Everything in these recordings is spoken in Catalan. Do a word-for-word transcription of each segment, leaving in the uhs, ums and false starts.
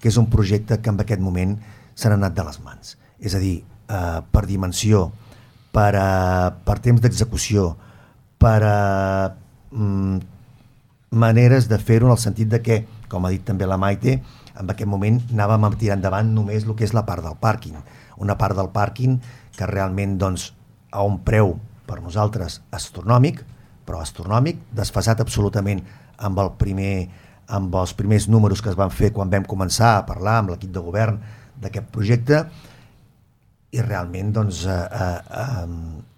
que és un projecte que en aquest moment se n'ha anat de les mans. És a dir, eh, per dimensió, per, a, per temps d'execució, per a, mm, maneres de fer-ho en el sentit de que, com ha dit també la Maite, en aquest moment anàvem a tirar endavant només el que és la part del pàrquing. Una part del pàrquing que realment doncs, a un preu per nosaltres astronòmic, però astronòmic, desfasat absolutament amb, el primer, amb els primers números que es van fer quan vam començar a parlar amb l'equip de govern d'aquest projecte, i realment doncs, eh, eh, eh,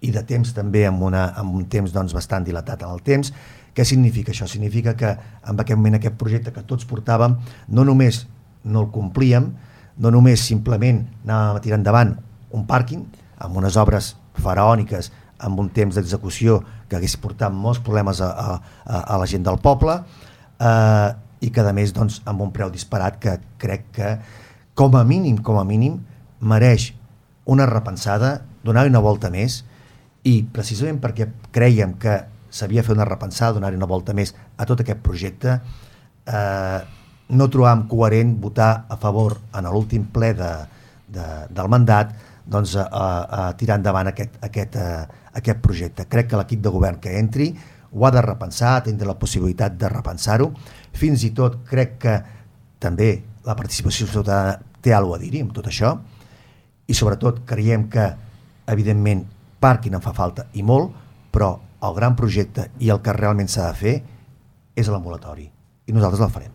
i de temps també amb, una, amb un temps doncs, bastant dilatat en el temps. Què significa això? Significa que en aquest moment aquest projecte que tots portàvem no només no el complíem, no només simplement anàvem a tirar endavant un pàrquing amb unes obres faraòniques amb un temps d'execució que hagués portat molts problemes a, a, a la gent del poble, eh, i que a més doncs, amb un preu disparat que crec que com a mínim, com a mínim mereix una repensada, donar-hi una volta més, i precisament perquè creiem que s'havia fet una repensada, donar-hi una volta més a tot aquest projecte, eh, no trobàvem coherent votar a favor en l'últim ple de, de, del mandat doncs, a, a, a tirar endavant aquest, aquest, a, aquest projecte. Crec que l'equip de govern que entri ho ha de repensar, tindre la possibilitat de repensar-ho. Fins i tot crec que també la participació ciutadana té alguna cosa a dir-hi amb tot això, i sobretot creiem que evidentment pàrquing en fa falta i molt, però el gran projecte i el que realment s'ha de fer és l'ambulatori, i nosaltres el farem.